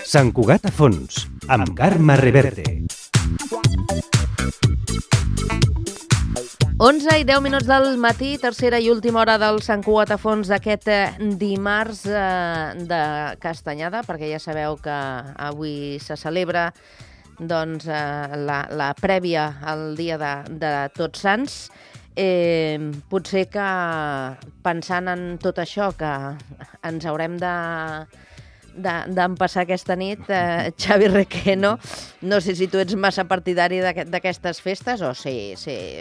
Sant Cugat a fons, amb Carme Reverte. 11 i 10 minuts del matí, tercera i última hora del Sant Cugat a fons d'aquest dimarts de Castanyada, perquè ja sabeu que avui se celebra doncs, la prèvia al dia de Tots Sants. Potser que pensant en tot això que ens haurem d'empassar aquesta nit, Xavi Requeno, no sé si tu ets massa partidari d'aquestes festes o sí,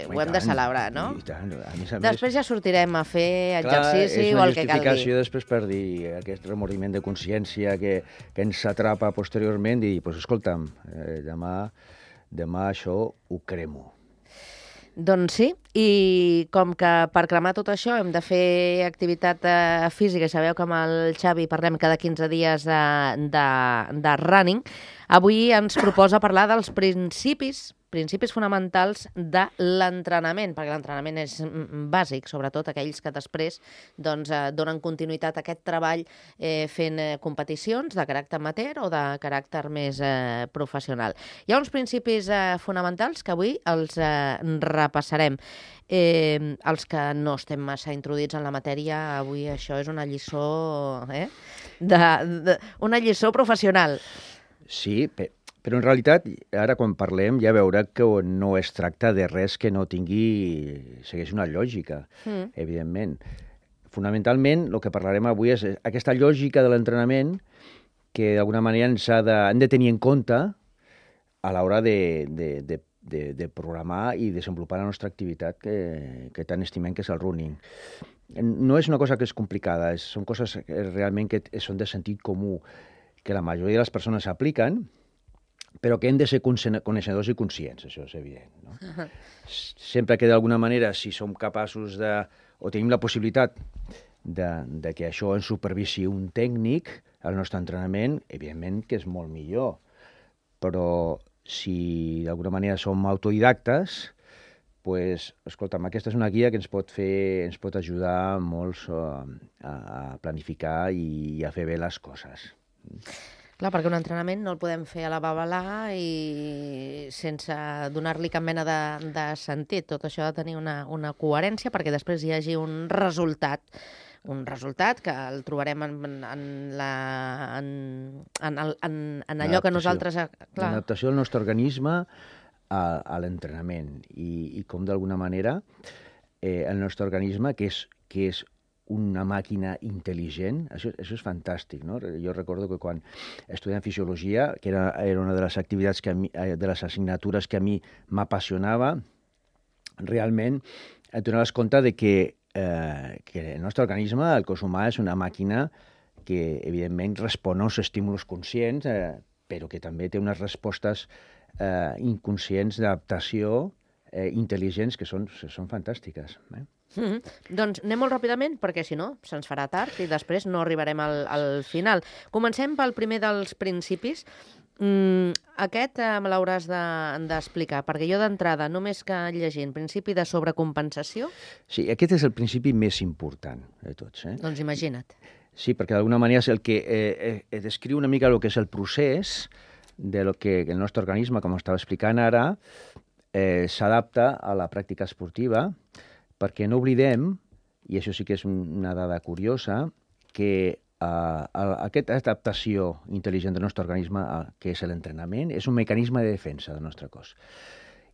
ho hem de celebrar, no? I tant, a més a més. Després ja sortirem a fer exercici o el que calgui. És una justificació després per dir aquest remordiment de consciència que ens atrapa posteriorment i, doncs, escolta'm, demà això ho cremo. Doncs sí, i com que per cremar tot això hem de fer activitat física, sabeu que amb el Xavi parlem cada 15 dies de running, avui ens proposa parlar dels principis fonamentals de l'entrenament, perquè l'entrenament és bàsic, sobretot aquells que després doncs, donen continuïtat a aquest treball fent competicions de caràcter amateur o de caràcter més professional. Hi ha uns principis fonamentals que avui els repassarem. Els que no estem massa introduïts en la matèria, avui això és una lliçó, una lliçó professional. Sí, però en realitat, ara quan parlem ja veurà que no es tracta de res que no segueix una lògica, evidentment. Fonamentalment, el que parlarem avui és aquesta lògica de l'entrenament que d'alguna manera hem de tenir en compte a l'hora de programar i desenvolupar la nostra activitat que tant estimem, que és el running. No és una cosa que és complicada, són coses realment que són de sentit comú, que la majoria de les persones apliquen, però que hem de ser coneixedors i conscients, això és evident. No? Sempre que d'alguna manera, si som capaços o tenim la possibilitat de que això ens supervisi un tècnic al nostre entrenament, evidentment que és molt millor. Però si d'alguna manera som autodidactes, doncs, escolta'm, aquesta és una guia que ens pot ajudar molts a planificar i a fer bé les coses. Clar, perquè un entrenament no el podem fer a la babalà i sense donar-li cap mena de sentit. Tot això ha de tenir una coherència perquè després hi hagi un resultat que el trobarem en allò que nosaltres... L'adaptació del nostre organisme a l'entrenament i com d'alguna manera el nostre organisme, que és una màquina intel·ligent, això és fantàstic, no? Jo recordo que quan estudiant fisiologia, que era una de les activitats de les assignatures que a mi m'apassionava, realment et donaves compte de que el nostre organisme, el cos humà, és una màquina que, evidentment, respon a uns estímuls conscients, però que també té unes respostes inconscients d'adaptació intel·ligents que són fantàstiques. Doncs anem molt ràpidament, perquè si no se'ns farà tard i després no arribarem al final. Comencem pel primer dels principis. Aquest me l'hauràs d'explicar, perquè jo d'entrada, només que llegint principi de sobrecompensació... Sí, aquest és el principi més important de tots. Doncs imagina't. Sí, perquè d'alguna manera és el que descriu una mica el que és el procés de lo que el nostre organisme, com estava explicant ara, s'adapta a la pràctica esportiva, perquè no oblidem, i això sí que és una dada curiosa, que aquesta adaptació intel·ligent del nostre organisme, que és l'entrenament, és un mecanisme de defensa del nostre cos.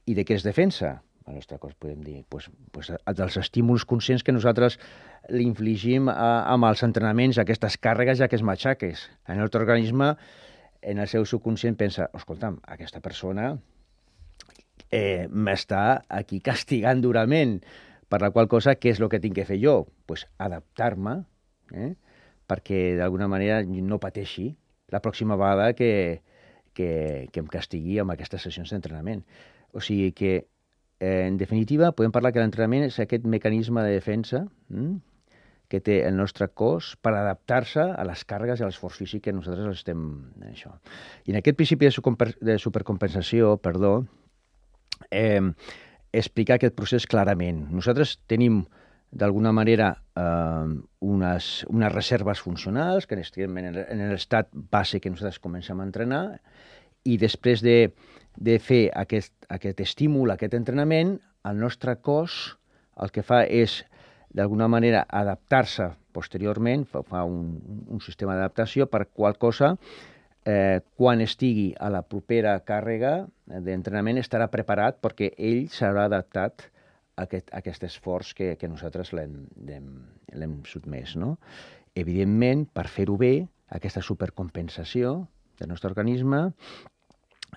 I de què es defensa el nostre cos, podem dir? Dels estímuls conscients que nosaltres li infligim amb els entrenaments, aquestes càrregues i aquests matxaques. El nostre organisme, en el seu subconscient, pensa, escolta'm, aquesta persona m'està aquí castigant durament, per la qual cosa, què és el que tinc que fer jo? Doncs adaptar-me perquè d'alguna manera no pateixi la pròxima vegada que em castigui amb aquestes sessions d'entrenament. O sigui que, en definitiva, podem parlar que l'entrenament és aquest mecanisme de defensa que té el nostre cos per adaptar-se a les càrregues i a l'esforç físic que nosaltres estem... Això. I en aquest principi de supercompensació, explicar aquest procés clarament. Nosaltres tenim, d'alguna manera, unes reserves funcionals que estem en l'estat base que nosaltres comencem a entrenar, i després de fer aquest estímul, aquest entrenament, el nostre cos el que fa és, d'alguna manera, adaptar-se posteriorment, fa un sistema d'adaptació per qual cosa, quan estigui a la propera càrrega d'entrenament, estarà preparat perquè ell s'haurà adaptat a aquest esforç que nosaltres l'hem sotmès. No? Evidentment, per fer-ho bé, aquesta supercompensació del nostre organisme,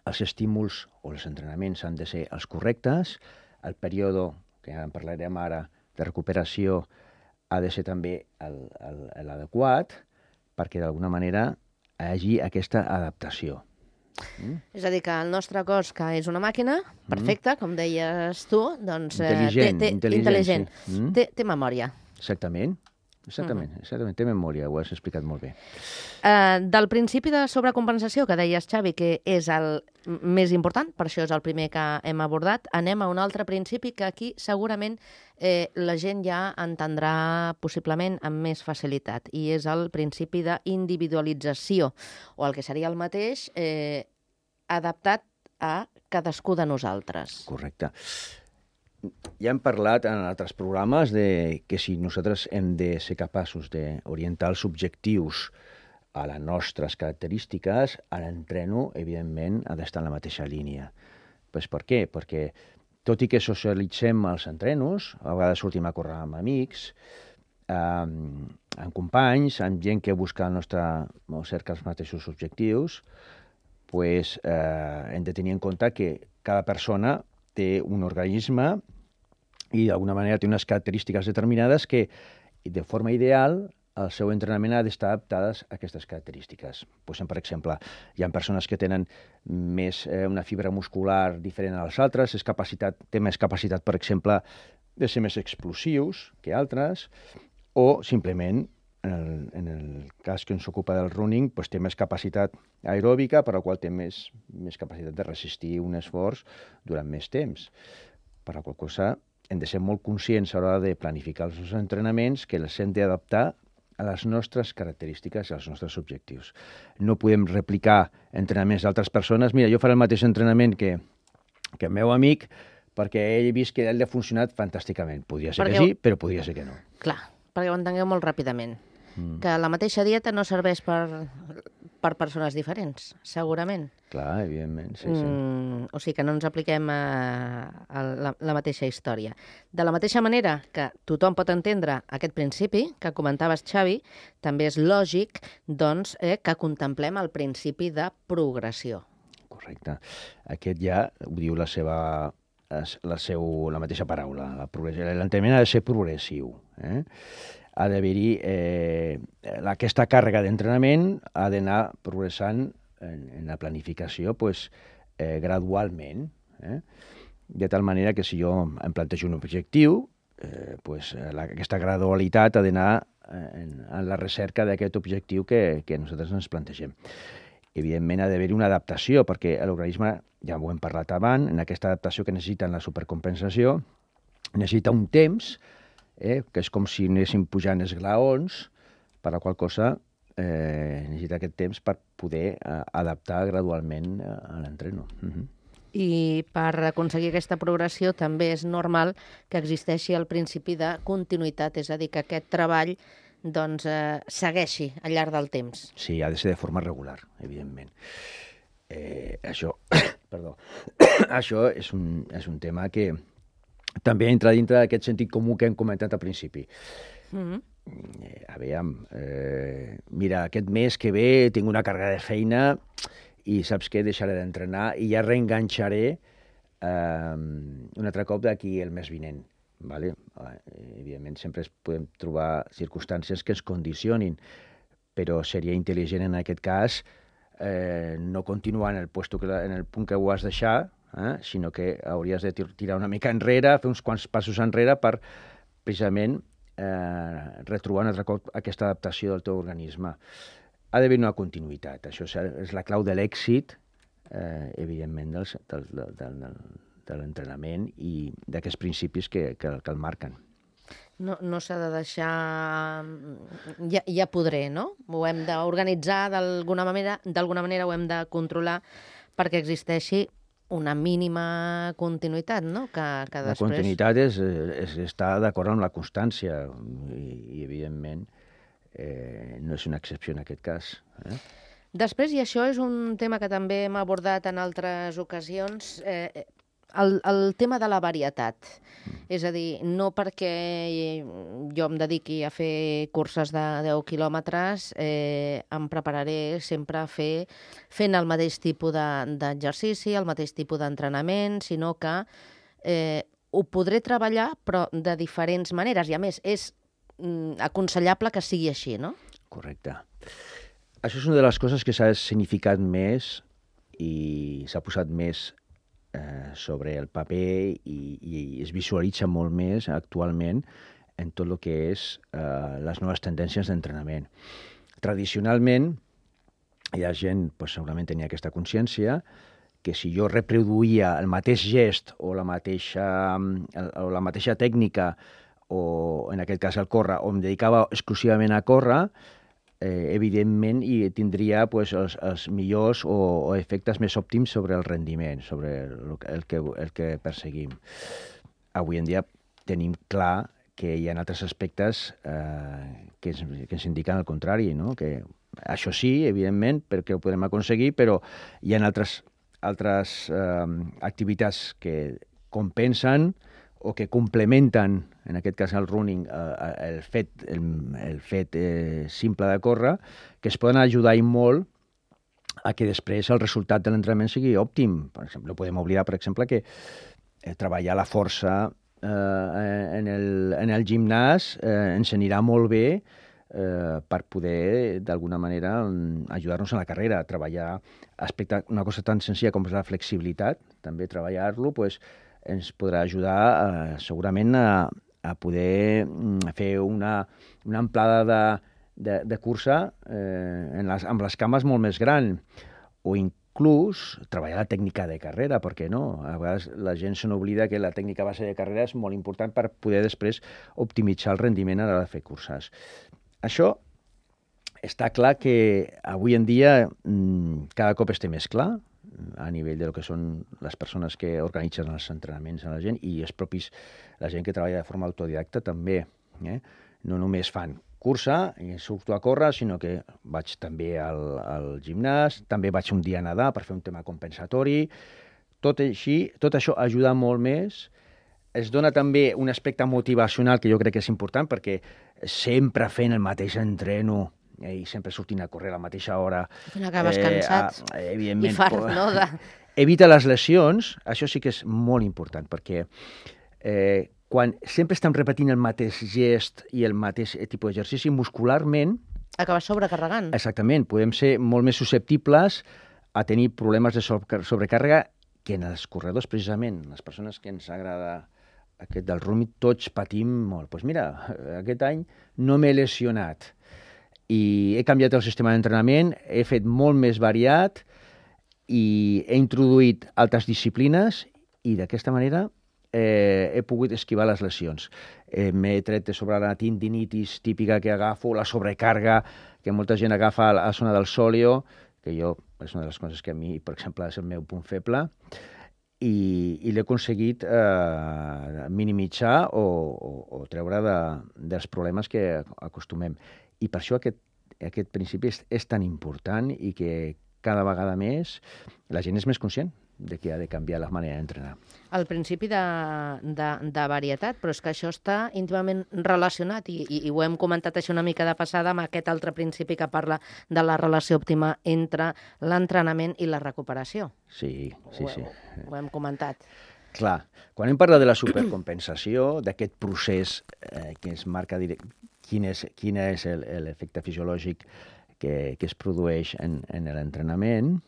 els estímuls o els entrenaments han de ser els correctes, el període, que ja en parlarem ara, de recuperació ha de ser també l'adequat perquè d'alguna manera hi hagi aquesta adaptació. És a dir, que el nostre cos, que és una màquina, perfecta, com deies tu, doncs intel·ligent. Té memòria. Exactament, té memòria, ho has explicat molt bé. Del principi de sobrecompensació que deies, Xavi, que és el més important, per això és el primer que hem abordat, anem a un altre principi que aquí segurament la gent ja entendrà possiblement amb més facilitat, i és el principi d'individualització, o el que seria el mateix, adaptat a cadascú de nosaltres. Correcte. Ja hem parlat en altres programes que si nosaltres hem de ser capaços d'orientar els objectius a les nostres característiques, l'entreno, evidentment, ha d'estar en la mateixa línia. Pues per què? Perquè, tot i que socialitzem els entrenos, a vegades sortim a córrer amb amics, amb companys, amb gent que busca o cerca els mateixos objectius, pues, hem de tenir en compte que cada persona té un organisme i d'alguna manera té unes característiques determinades que, de forma ideal, el seu entrenament ha d'estar adaptades a aquestes característiques. Pues, per exemple, hi ha persones que tenen més una fibra muscular diferent a les altres, té més capacitat, per exemple, de ser més explosius que altres, o simplement, en el cas que ens ocupa del running, pues, té més capacitat aeròbica, per la qual té més capacitat de resistir un esforç durant més temps. Per la qual cosa hem de ser molt conscients a l'hora de planificar els nostres entrenaments que els hem d'adaptar a les nostres característiques i als nostres objectius. No podem replicar entrenaments d'altres persones. Mira, jo faré el mateix entrenament que el meu amic perquè ell he vist que ell ha funcionat fantàsticament. Podria ser que sí, però podria ser que no. Clar, perquè ho entengueu molt ràpidament. Que la mateixa dieta no serveix per persones diferents, segurament. Clar, evidentment, sí. O sigui que no ens apliquem la mateixa història. De la mateixa manera que tothom pot entendre aquest principi que comentaves, Xavi, també és lògic doncs, que contemplem el principi de progressió. Correcte. Aquest ja ho diu la mateixa paraula. L'entrenament ha de ser progressiu. Ha d'haver-hi aquesta càrrega d'entrenament, ha d'anar progressant en la planificació gradualment, de tal manera que si jo em plantejo un objectiu, aquesta gradualitat ha d'anar en la recerca d'aquest objectiu que nosaltres ens plantegem. Evidentment ha d'haver-hi una adaptació, perquè l'organisme, ja ho hem parlat abans, en aquesta adaptació que necessita en la supercompensació, necessita un temps, que és com si anéssim pujant esglaons, per la qual cosa necessita aquest temps per poder adaptar gradualment a l'entreno. I per aconseguir aquesta progressió també és normal que existeixi el principi de continuïtat, és a dir, que aquest treball doncs, segueixi al llarg del temps. Sí, ha de ser de forma regular, evidentment. Això és un tema que també entra dintre d'aquest sentit comú que hem comentat al principi. Aviam, mira, aquest mes que ve tinc una càrrega de feina i saps què? Deixaré d'entrenar i ja reenganxaré un altre cop d'aquí el mes vinent. Vale? Evidentment, sempre podem trobar circumstàncies que ens condicionin, però seria intel·ligent en aquest cas no continuar en el punt que ho has deixat, sinó que hauries de tirar una mica enrere, fer uns quants passos enrere per precisament retrobar un altre cop aquesta adaptació del teu organisme. Ha d'haver una continuïtat. Això és la clau de l'èxit, evidentment, de l'entrenament i d'aquests principis que el marquen. No s'ha de deixar... Ja podré, no? Ho hem d'organitzar d'alguna manera, ho hem de controlar perquè existeixi una mínima continuïtat, no? Que després... La continuïtat és estar d'acord amb la constància i evidentment, no és una excepció en aquest cas. Després, i això és un tema que també hem abordat en altres ocasions, el tema de la varietat. És a dir, no perquè jo em dediqui a fer curses de 10 quilòmetres, em prepararé sempre fent el mateix tipus d'exercici, el mateix tipus d'entrenament, sinó que ho podré treballar, però de diferents maneres. I a més, és aconsellable que sigui així, no? Correcte. Això és una de les coses que s'ha significat més i s'ha posat més sobre el paper i es visualitza molt més actualment en tot el que és les noves tendències d'entrenament. Tradicionalment, hi ha gent, segurament tenia aquesta consciència, que si jo reproduïa el mateix gest o la mateixa tècnica, o en aquest cas el córrer, o em dedicava exclusivament a córrer, evidentment tindria els millors o efectes més òptims sobre el rendiment, sobre el que perseguim. Avui en dia tenim clar que hi ha altres aspectes que ens indiquen el contrari, no? Que això sí, evidentment, perquè ho podem aconseguir, però hi ha altres activitats que compensen o que complementen, en aquest cas el running, el fet simple de córrer, que es poden ajudar i molt a que després el resultat de l'entrenament sigui òptim. Per exemple, no podem oblidar, per exemple, que treballar la força en el gimnàs ens anirà molt bé per poder, d'alguna manera, ajudar-nos en la carrera. Treballar una cosa tan senzilla com és la flexibilitat, també treballar-lo, ens podrà ajudar segurament a poder fer una amplada de cursa amb les cames molt més gran, o inclús treballar la tècnica de carrera, per què no? A vegades la gent se n'oblida que la tècnica base de carrera és molt important per poder després optimitzar el rendiment a l'hora de fer curses. Això està clar que avui en dia cada cop té més clar, a nivell del que són les persones que organitzen els entrenaments a la gent i la gent que treballa de forma autodidacta també. No només fan cursa i surto a córrer, sinó que vaig també al gimnàs, també vaig un dia a nedar per fer un tema compensatori. Tot això ajuda molt més. Es dona també un aspecte motivacional que jo crec que és important, perquè sempre fent el mateix entreno i sempre sortint a córrer a la mateixa hora. Acabes cansat i fart, no? Evita les lesions, això sí que és molt important, perquè quan sempre estem repetint el mateix gest i el mateix tipus d'exercici, muscularment... Acabes sobrecarregant. Exactament, podem ser molt més susceptibles a tenir problemes de sobrecàrrega que en els corredors, precisament, les persones que ens agrada aquest del running, tots patim molt. Doncs mira, aquest any no m'he lesionat i he canviat el sistema d'entrenament, he fet molt més variat i he introduït altres disciplines i d'aquesta manera he pogut esquivar les lesions. M'he tret de sobre la tendinitis típica que agafo, la sobrecàrrega que molta gent agafa a la zona del sòleo, que és una de les coses que a mi, per exemple, és el meu punt feble, i l'he aconseguit minimitzar o treure dels problemes que acostumem. I per això aquest principi és tan important i que cada vegada més la gent és més conscient de que ha de canviar la manera d'entrenar. El principi de varietat, però és que això està íntimament relacionat i ho hem comentat això una mica de passada amb aquest altre principi que parla de la relació òptima entre l'entrenament i la recuperació. Sí. Ho hem comentat. Clar, quan hem parlat de la supercompensació, d'aquest procés que ens marca quin és l'efecte fisiològic que es produeix en l'entrenament,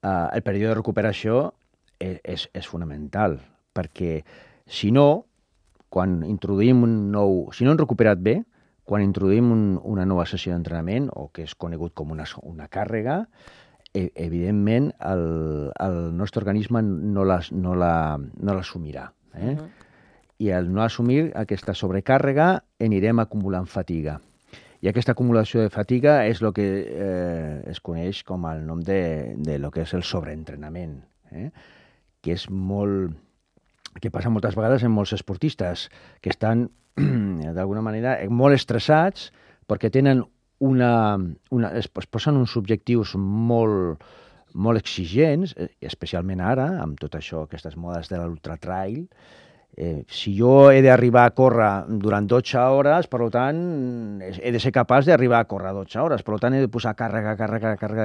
el període de recuperació és fonamental, perquè si no, quan introduïm si no hem recuperat bé, quan introduïm una nova sessió d'entrenament, o que és conegut com una càrrega, evidentment el nostre organisme no l'assumirà. I al no assumir aquesta sobrecàrrega anirem acumulant fatiga. I aquesta acumulació de fatiga és el que es coneix com el nom de lo que és el sobreentrenament, que és que passa moltes vegades en molts esportistes, que estan, d'alguna manera, molt estressats perquè tenen es posen uns objectius molt exigents, especialment ara, amb tot això, aquestes modes de l'ultratrail. Si jo he d'arribar a córrer durant 12 hores, per tant, he de ser capaç d'arribar a córrer 12 hores, per tant, he de posar càrrega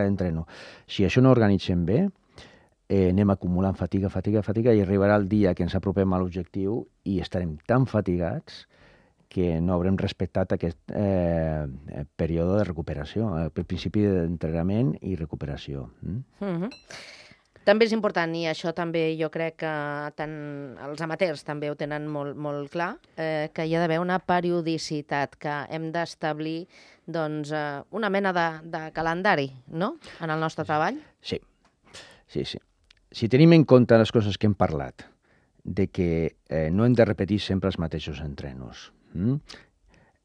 d'entreno. Si això no organitzem bé, anem acumulant fatiga i arribarà el dia que ens apropem a l'objectiu i estarem tan fatigats que no haurem respectat aquest període de recuperació, el principi d'entrenament i recuperació. També és important, i això també jo crec que tant els amateurs també ho tenen molt clar, que hi ha d'haver una periodicitat, que hem d'establir una mena de calendari, no?, en el nostre treball. Sí. Si tenim en compte les coses que hem parlat, de que no hem de repetir sempre els mateixos entrenos,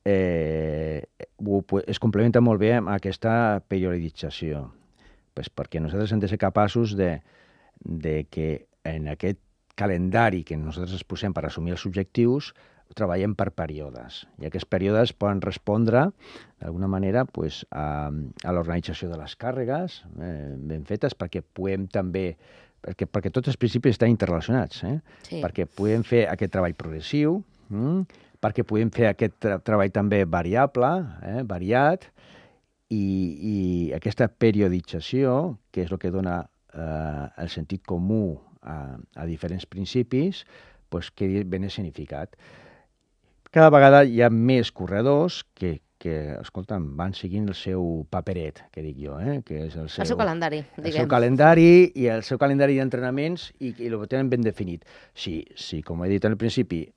es complementa molt bé amb aquesta periodització, perquè nosaltres hem de ser capaços de que en aquest calendari que nosaltres ens posem per assumir els objectius treballem per períodes, i aquests períodes poden respondre d'alguna manera a l'organització de les càrregues ben fetes, perquè puguem també, perquè tots els principis estan interrelacionats, perquè puguem fer aquest treball progressiu, perquè podem fer aquest treball també variable, variat, i aquesta periodització, que és el que dona el sentit comú a diferents principis, quedi ben escenificat. Cada vegada hi ha més corredors que escolta'm, van seguint el seu paperet, que dic jo, que és el seu calendari, diguem. El seu calendari i el seu calendari d'entrenaments i el tenen ben definit. Si, com he dit al principi,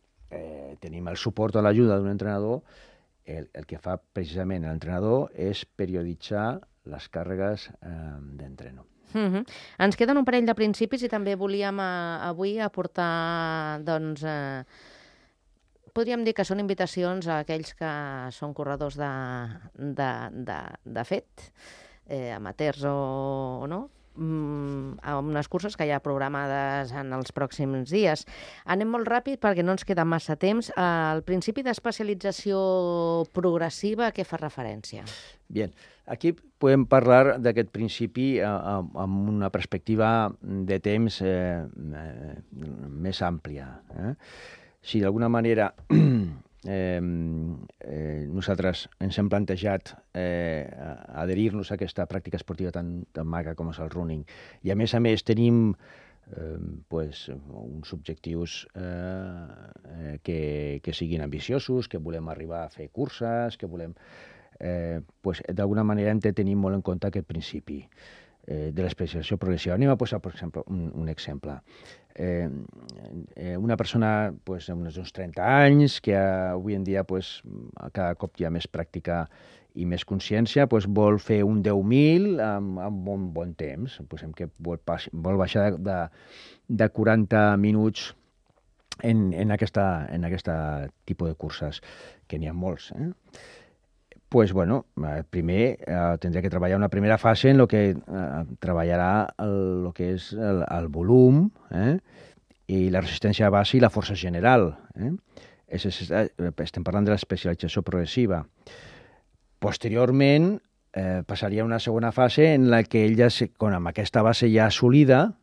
tenim el suport o l'ajuda d'un entrenador, el que fa precisament l'entrenador és perioditzar les càrregues d'entreno. Ens queden un parell de principis i també volíem avui aportar, podríem dir que són invitacions a aquells que són corredors de fet, amateurs o no, a unes curses que hi ha programades en els pròxims dies. Anem molt ràpid perquè no ens queda massa temps. El principi d'especialització progressiva, a què fa referència? Bien, aquí podem parlar d'aquest principi amb una perspectiva de temps més àmplia. Si d'alguna manera nosaltres ens hem plantejat adherir-nos a aquesta pràctica esportiva tan maca com és el running, i a més tenim uns objectius que siguin ambiciosos, que volem arribar a fer curses, que volem... d'alguna manera hem de tenir molt en compte aquest principi de l'especialització progressiva. Anem a posar, per exemple, un exemple. Una persona d'uns 30 anys, que avui en dia cada cop hi ha més pràctica i més consciència, vol fer un 10.000 amb un bon temps. Posem que vol baixar de 40 minuts en aquesta tipus de curses, que n'hi ha molts, primer tindrà que treballar una primera fase en què treballarà el que és el volum i la resistència a base i la força general. Estem parlant de l'especialització progressiva. Posteriorment, passaria a una segona fase en la que ell ja, amb aquesta base ja assolida,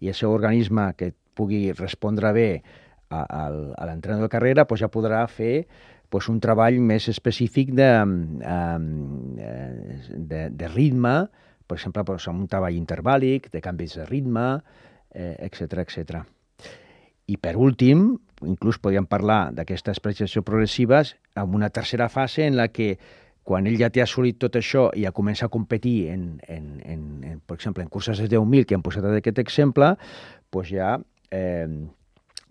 i el seu organisme que pugui respondre bé a l'entrenador de carrera, ja podrà fer un treball més específic de ritme, per exemple, un treball intervàl·lic, de canvis de ritme, etc. I per últim, inclús podríem parlar d'aquesta especialització progressiva amb una tercera fase en la que quan ell ja té assolit tot això i ja comença a competir, per exemple, en curses de 10.000, que hem posat aquest exemple, doncs ja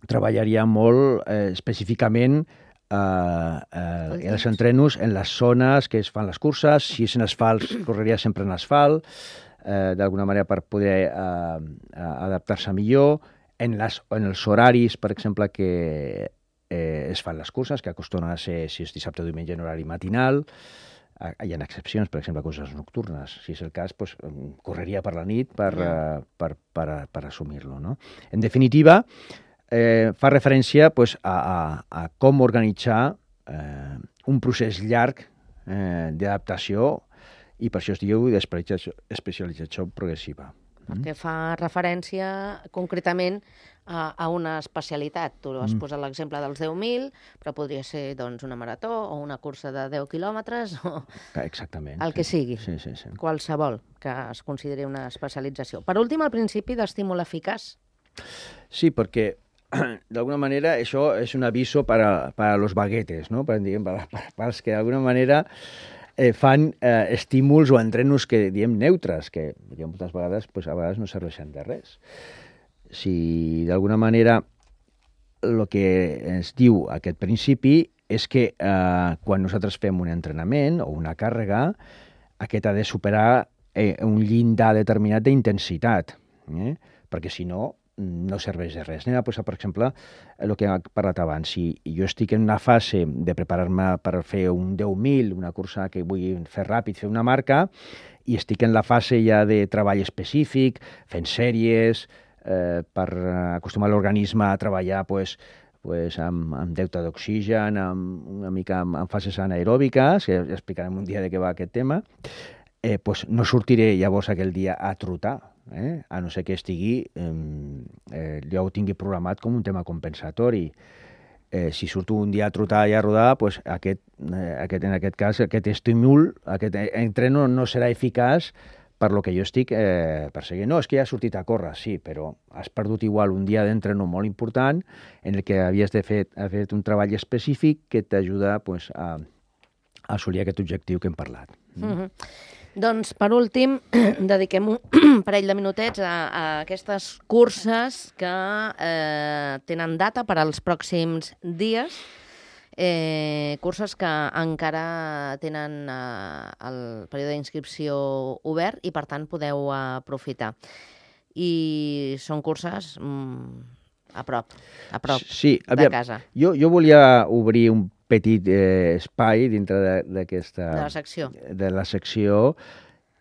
treballaria molt específicament els entrenos en les zones que es fan les curses. Si és en asfalt, correria sempre en asfalt, d'alguna manera per poder adaptar-se millor. En els horaris, per exemple, que es fan les curses, que acostumen a ser, si és dissabte o diumenge, en horari matinal. Hi ha excepcions, per exemple, curses nocturnes. Si és el cas, doncs, correria per la nit per assumir-lo, no? En definitiva, fa referència doncs, a com organitzar un procés llarg d'adaptació, i per això es diu especialització progressiva. Perquè fa referència concretament a una especialitat. Tu has posat l'exemple dels 10.000, però podria ser doncs, una marató o una cursa de 10 quilòmetres o exactament, el que sigui. Sí. Qualsevol que es consideri una especialització. Per últim, el principi d'estímul eficaç. Sí, perquè d'alguna manera això és un aviso para los baguetes, ¿no? Para els que d'alguna manera fan estímuls o entrenos que diem neutres, que moltes vegades, pues, a vegades no serveixen de res. Si d'alguna manera el que ens diu aquest principi és que quan nosaltres fem un entrenament o una càrrega, aquest ha de superar un llindar determinat d'intensitat, perquè si no, no serveix de res. Anem a posar, per exemple, el que hem parlat abans. Si jo estic en una fase de preparar-me per fer un 10.000, una cursa que vull fer ràpid, fer una marca, i estic en la fase ja de treball específic, fent sèries, per acostumar l'organisme a treballar amb deute d'oxigen, una mica en fases anaeròbiques, que ja explicarem un dia de què va aquest tema, no sortiré llavors aquell dia a trotar, a no ser que estigui, ja ho tingui programat com un tema compensatori. Si surto un dia a trotar i a rodar, en aquest cas, aquest estímul, aquest entreno no serà eficaç per lo que jo estic perseguint. No, és que ja has sortit a córrer, sí, però has perdut igual un dia d'entreno molt important en el que havies de fer un treball específic que t'ajuda a assolir aquest objectiu que hem parlat. Doncs, per últim, dediquem un parell de minutets a aquestes curses que tenen data per als pròxims dies, curses que encara tenen el període d'inscripció obert i, per tant, podeu aprofitar. I són curses a prop sí, de casa. Jo volia obrir un petit espai dintre d'aquesta... De la secció.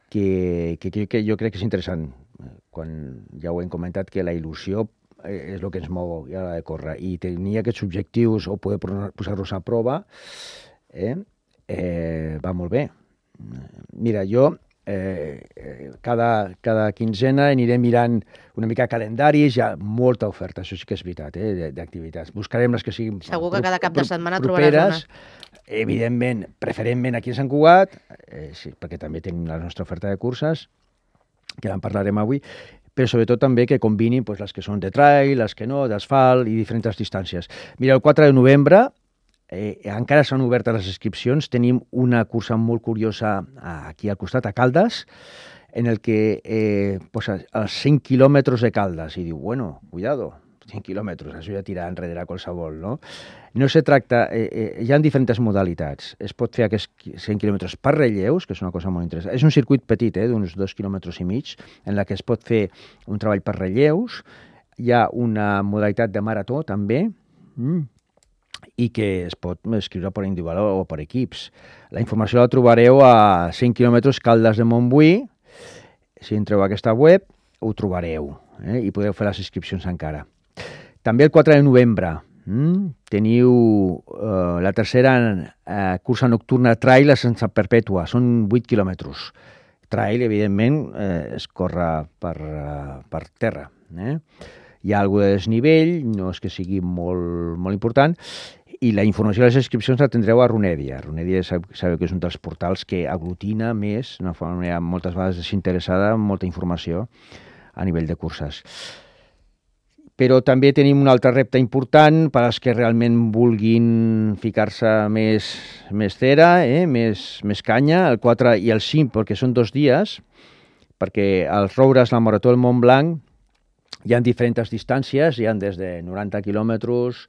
Que jo crec que és interessant. Quan ja ho hem comentat, que la il·lusió és el que ens mou a l'hora de córrer. I tenir aquests objectius o poder posar-los a prova va molt bé. Mira, jo cada quinzena aniré mirant una mica calendaris, hi ha molta oferta, això sí que és veritat, d'activitats. Buscarem les que siguin segur que cada cap de setmana trobaràs una. Evidentment, preferentment aquí a Sant Cugat, sí, perquè també tenim la nostra oferta de curses, que en parlarem avui, però sobretot també que combinin les que són de trail, les que no, d'asfalt i diferents distàncies. Mira, el 4 de novembre encara s'han obert les inscripcions. Tenim una cursa molt curiosa aquí al costat, a Caldes, en el que posa els 100 quilòmetres de Caldes. I diu, bueno, cuidado, 100 quilòmetres, això ja tira enrere qualsevol, no? No se tracta... hi ha diferents modalitats. Es pot fer aquests 100 quilòmetres per relleus, que és una cosa molt interessant. És un circuit petit, d'uns 2 quilòmetres i mig, en la que es pot fer un treball per relleus. Hi ha una modalitat de marató, també, i que es pot escriure per individual o per equips. La informació la trobareu a 100 quilòmetres Caldes de Montbui. Si entreu a aquesta web, ho trobareu, i podeu fer les inscripcions encara. També el 4 de novembre teniu la tercera cursa nocturna trail a Sant Perpètua. Són 8 quilòmetres. Trail, evidentment, es corre per terra. Hi ha alguna de desnivell, no és que sigui molt important, i la informació de les inscripcions la tindreu a Runedia. Runedia sabeu que és un dels portals que aglutina més, d'una forma moltes vegades desinteressada, molta informació a nivell de curses. Però també tenim un altre repte important per als que realment vulguin ficar-se més cera, més canya, el 4 i el 5, perquè són 2 dies, perquè als Roures, la Marató del Mont Blanc, hi ha diferents distàncies, hi ha des de 90 quilòmetres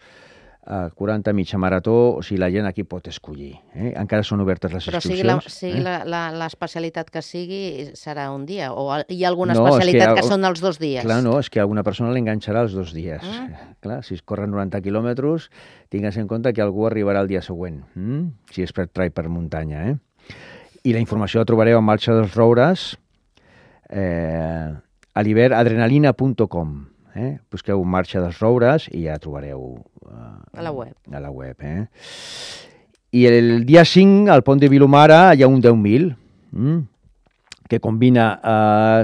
a 40 mitja marató, o sigui, la gent aquí pot escollir. Encara són obertes les inscripcions. Però sigui l'especialitat que sigui, serà un dia? O hi ha alguna especialitat que són els 2 dies? Clar, no, és que a alguna persona l'enganxarà els 2 dies. Clar, si es corren 90 quilòmetres, tingues en compte que algú arribarà el dia següent, si és per trail per muntanya. I la informació la trobareu a Marxa dels Roures, a l'hivern.adrenalina.com. Busqueu Marxa dels Roures i ja trobareu a la web. I el dia 5, al pont de Vilomara, hi ha un 10.000 que combina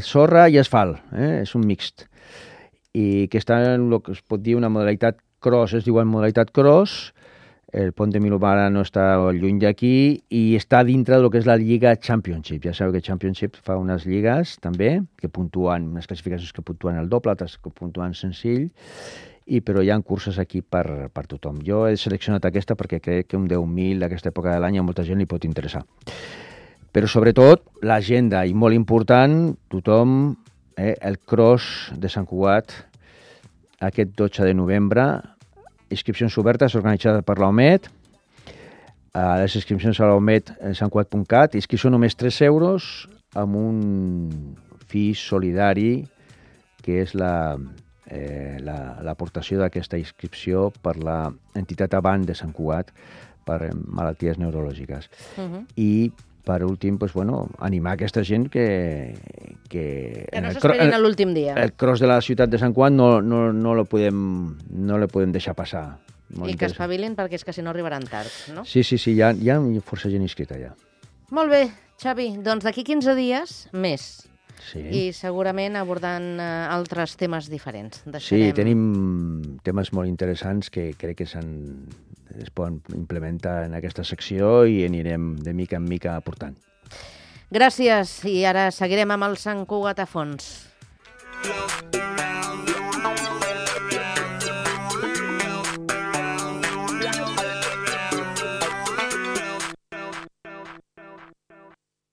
sorra i asfalt. És un mixt. I que està en el que es pot dir una modalitat cross, es diu modalitat cross. El pont de Vilomara no està lluny d'aquí i està dintre del que és la Lliga Championship. Ja sabeu que Championship fa unes lligues també, que puntuen, unes classificacions que puntuen el doble, altres que puntuen senzill, però hi ha curses aquí per tothom. Jo he seleccionat aquesta perquè crec que un 10.000 d'aquesta època de l'any a molta gent li pot interessar. Però sobretot l'agenda, i molt important, tothom, el cross de Sant Cugat aquest 12 de novembre, inscripcions obertes organitzades per l'OMED. Les inscripcions a l'OMED santcugat.cat. Inscripció només 3 euros amb un fi solidari que és l'aportació d'aquesta inscripció per l'entitat Avant de Sant Cugat per malalties neurològiques. I per últim, animar aquesta gent que no s'esperin a l'últim dia. El cross de la ciutat de Sant Cugat no le podem deixar passar. I que espavilin perquè és que si no arribaran tard, no? Sí, hi ha força gent inscrita ja. Molt bé, Xavi, doncs d'aquí 15 dies més. Sí. I segurament abordant altres temes diferents. Sí, tenim temes molt interessants que crec que es poden implementar en aquesta secció i anirem de mica en mica aportant. Gràcies, i ara seguirem amb el Sant Cugat a fons.